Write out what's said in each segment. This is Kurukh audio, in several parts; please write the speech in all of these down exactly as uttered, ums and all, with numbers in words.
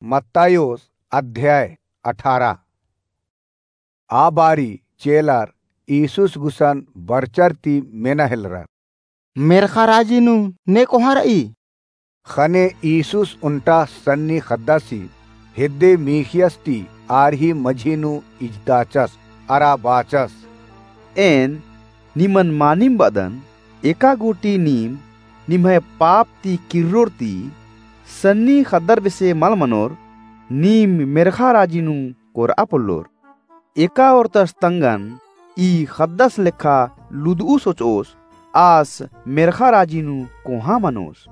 मत्तायोस अध्याय अठारह। आ बारी चेलर ईसुस गुसन बरचर ती मेना हेलरर। मेर्ख़ा राजी नू ने कोहाँ रई? ख़ने ईसुस ओन्टा सन्नी ख़द्दासी हेद्दे मीख़ियस ती आर ही मझी नू इजताचस अरा बाचस। एन निमन मानिम बअदन, एका गूटी नीम निम्है पाप ती किर्रोर ती सन्नी ख़द्दर बेसे मल मनोर, नीम मेर्ख़ा राजी नू कोरआ पोल्लोर। एका ओर्तस तंगन ई ख़द्दस लेखा लुदऊ सोचओस, आस मेर्ख़ा राजी नू कोहाँ मनोस।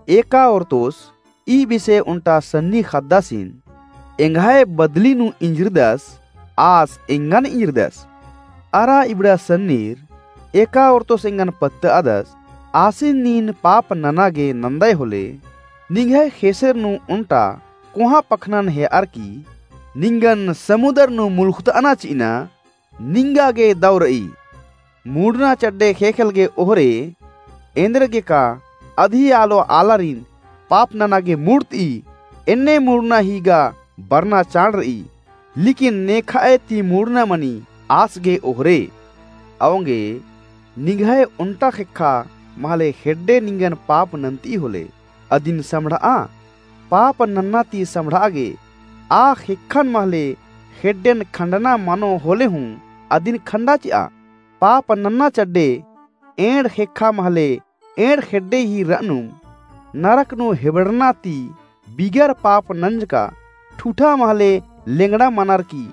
एका ओर्तोस ई बेसे ओन्टा सन्नी ख़द्दासिन एंग्है बदली नू इंजरदस, आस एंगन इंजरदस। अरा इबड़ा सन्नीर एका ओर्तोस एंगन पत्तअदस, आसिन नीन पाप नना गे नन्दय होले, निंग्है ख़ेसेर नू ओन्टा कोहाँ पखनन हेअर की निंगन समुदर नू मुलुख़तअना चिअना निंगा गे दौ रई। मुड़ना चड्डे ख़ेख़ेल गे ओहरे, एन्देरगेका अदी आलो आलारिन पाप नना गे मुड़तई, एन्ने मुड़ना ही गा बरना चाड़ रई। लेकिन नेखअय ती मुड़ना मनी आस गे ओहरे। औंगे निंग्है ओन्टा ख़ेक्खा महले ख़ेड्डे निंगन पाप नन्तई होले, अदिन सम्हड़आ। पाप नन्ना ती सम्हड़आ गे आ ख़ेक्खन महले ख़ेड्डेन खंडना मनो होले हूँ अदिन खंडा चिआ। पाप नन्ना चड्डे एंड़ ख़ेक्खा महले एंड़ ख़ेड्डे ही रअनुम नरक नू हेबड़ना ती बिगर पाप नंजका ठूठा महले लेंगड़ा मनर की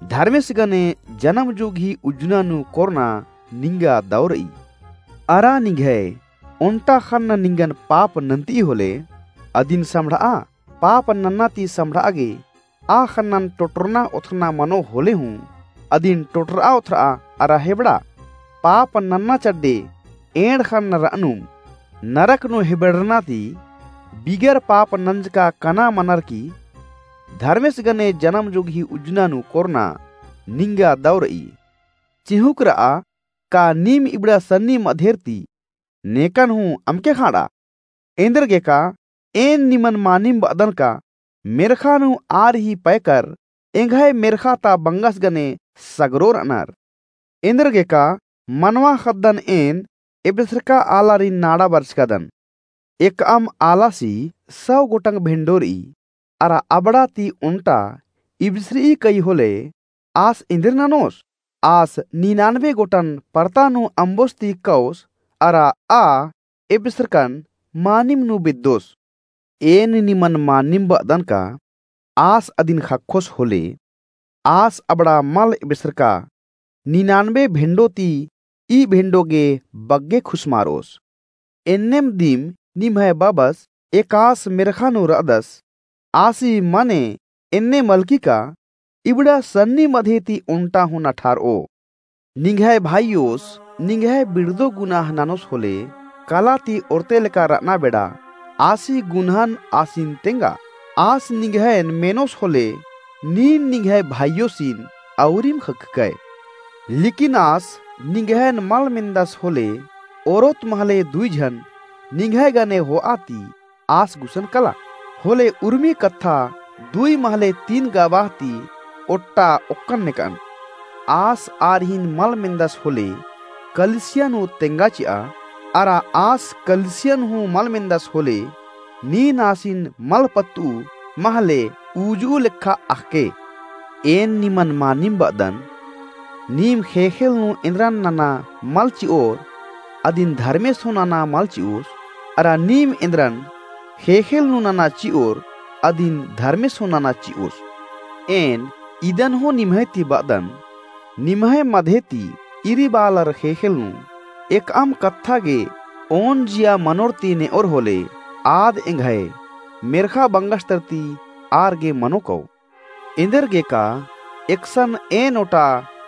धर्मेस गने जनम जुग ही उज्जना नू कोरना निंगा दौ रई। अरा निंग्है ओन्टा ख़न्न निंगन पाप नन्तई होले, अदिन सम्हड़आ। पाप नन्ना ती सम्हड़आ गे आ ख़न्नन टोटरना ओथरना मनो होले हूँ, अदिन टोटरआ ओथरआ अरा हेबड़ा। पाप नन्ना चड्डे एंड़ ख़न्न रअनुम नरक नू हेबड़ना ती बिगर पाप नंजका कना मनर की धर्मेस गने जनम जुग ही उज्जना नू कोरना निंगा दौ रई। चिहुँक रआ, का नीम इबड़ा सन्नी मधेर ती नेकन हूँ अमके ख़ाँड़ा? एन्देरगेका एन निमन मानिम बअदन का मेर्ख़ा नू आर ही पैकर एंग्है मेर्ख़ा ता बंगस गने सगरो रअनर। एन्देरगेका मनवा ख़द्दन एन एबेसरका आलारिन नाड़ा बरचकादन। एकअम आलासी सौ गोटंग भेंडो रई, अरा अबड़ा ती ओन्टा इबसरई कई होले आस एन्देर ननोस? आस निनानबे गोटन परता नू अम्बोस ती कओस, अरा आ एबेसरकन मानिम नू बेद्दोस। एन निमन मानिम बअदन का आस अदिन ख़क्खोस होले, आस अबड़ा मल एबेसरका निनानबे भेंडो ती ई भेंडो गे बग्गे खुसमारओस। एन्नेम दिम निम्है बबस एकास मेर्ख़ा नू रअदस, आसी मने एन्ने मलकी का इबड़ा सन्नी मधे ती ओन्टा हूँ नठारओ। निंग्है भाईयोस निंग्है बिड़दो गुनाह ननोस होले, कला ती ओर्ते लेका रअना बेड़ा आसी गुनहन आसिन तेंगा। आस निंग्हैन मेनोस होले, नीन निंग्है भाईयोसिन औरिम ख़क्खकय। लेकिन आस निंग्हैन मल मेन्दस होले, ओरोत महले दुई झन निंग्है गने होआ ती आस गुसन कला। होले उर्मी कत्था दुई महले तीन गवाह ती ओट्टा ओक्कन नेकअन। आस आरिन मल मेन्दस होले, कलिसिया नू तेंगा चिआ, अरा आस कलिसियन हूँ मल मेन्दस होले, नीन आसिन मल पत्तू महले उजुऊ लेखा अख़के। एन निमन मानिम बअदन, नीम ख़ेख़ेल नू एन्द्रन नना मल चिओर, अदिन धर्मेस हूँ नना मल चिओस, अरा नीम एन्द्रन ख़ेख़ेल नू नना चिओर, अदिन धर्मेस हूँ नना चिओस। एन इदन हूँ निम्है ती बअदन, निम्है मधे ती इरीबालर ख़ेख़ेल नू एकअम कत्था गे ओन जिया मनोर ती नेओर होले, आद एंग्है मेर्ख़ा बंगस तर ती आर गे मनो कओ। एन्देरगेका एकसन एन ओटा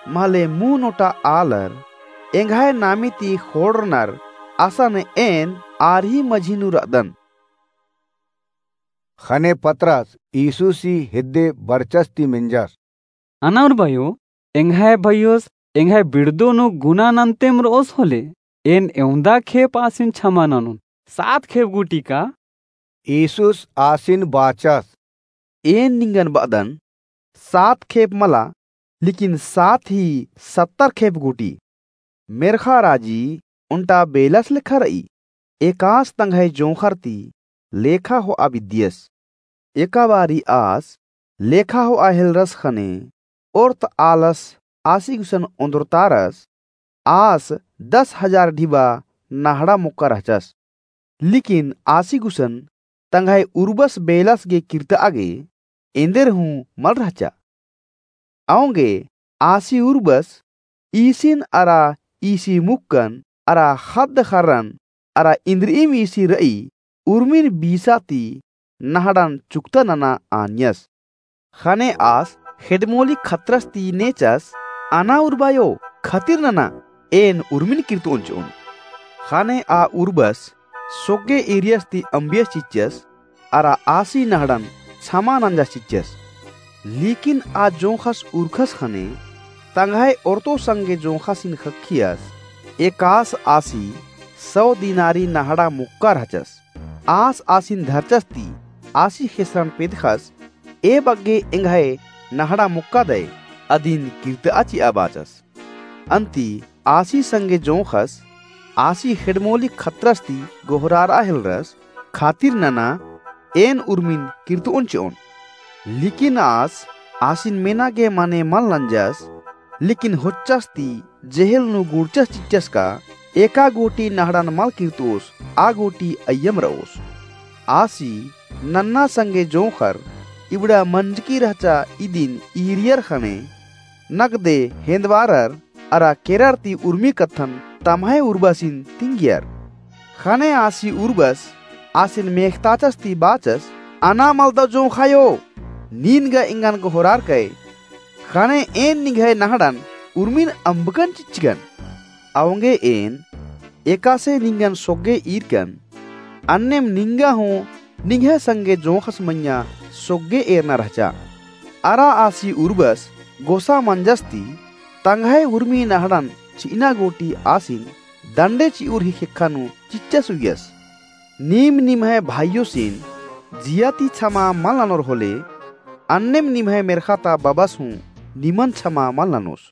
महले मुन ओटा आलर एंग्है नामे ती ख़ोंड़रनर, असन एन आर ही मझी नू रअदन। ख़ने पतरस ईसुसी हेद्दे बरचस ती मेंजस। अनर बयो, एंग्है भइयोस एंग्है बिड़दो नू गुना नन्तेम रओस होले, एन एवंदा खेप आसिन छमा ननोन, सात खेप गूटी का? ईसुस आसिन बाचस। एन निंगन बअदन, सात खेप मला, लेकिन सात ही सत्तर खेप गूटी। मेर्ख़ा राजी ओन्टा बेलस लेखा रई। एकास तंग्है जोंख़र ती लेखा होआ बिद्दियस। एका बारी आस लेखा होआ हेलरस ख़ने ओर्त आलस आसी गुसन ओन्द्रतारस। आस दस हजार ढिबा नहड़ा मोक्का रहचस। लेकिन आसी गुसन तंग्है उर्बस बेलस गे किर्तआ गे एन्देर हूँ मल रहचा। औंगे आसी उर्बस ईसिन अरा ईसी मुक्कन अरा ख़द्द ख़र्रन अरा इन्द्रिइम ईसी रई उर्मिन बीसा ती नहड़न चुक्ता नना आनियस। ख़ने आस ख़ेड्डमोली खतरस ती नेचस, "अना उर्बायो, खतिर नना, एन उर्मिन किर्तओन चिओन।" ख़ने आ उर्बस सोग्गे ईरियस ती अम्बियस चिच्चस, अरा आसी नहड़न छमा नंजस चिच्चस। लेकिन आ जोंख़स उरखस ख़ने तंग्है ओर्तो संगे जोंख़सिन ख़क्खियस, एकास आसी सौ दिनारी नहड़ा मोक्का रहचस। आस आसिन धरचस ती आसी ख़ेसरन पेदख़स, "ए बग्गे एंग्है नहड़ा मोक्का दय, अदिन किर्तआ चिआ" बाचस। अन्ती आसी संगे जोंख़स आसी ख़ेड्डमोली खतरस ती गोहरारआ हेलरस, "खतिर नना, एन उर्मिन किर्तओन चिओन।" लेकिन आस आसिन मेना गे मने मल नंजस। लेकिन होच्चस ती जेहेल नू गुड़चस चिच्चस का, "एका गूटी नहड़न मल किर्तओस, आ गूटी अइय्यम रओस।" आसी नन्ना संगे जोंख़र इबड़ा मंजकी रहचा इदिन ईरियर ख़ने नगदे हेंदवारर अरा केरर ती उर्मी कत्थन तम्है उर्बसिन तिंगियर। ख़ने आसी उर्बस आसिन मेख़ताचस ती बाचस, "अना मलदव जोंख़ायो, नीन गा एंगन गोहरारकय, ख़ने एन निंग्है नहड़न उर्मिन अम्बकन चिच्चकन। औंगे एन एकासे निंगन सोग्गे ईरकन, अन्नेम निंगा हूँ निंग्है संगे जोंख़स मइय्याँ सोग्गे एरना रहचा।" अरा आसी उर्बस गोसा मंजस ती तंग्है उर्मी नहड़न चिअना गूटी आसिन दंडे चिउर ही ख़ेक्खा नू चिच्चस उइयस, "नीम निम्है भाइयोसिन जिया ती छमा मल ननोर होले, अन्नेम निम्है मेर्ख़ा ता बबस हूँ निमन छमा मल ननोस।"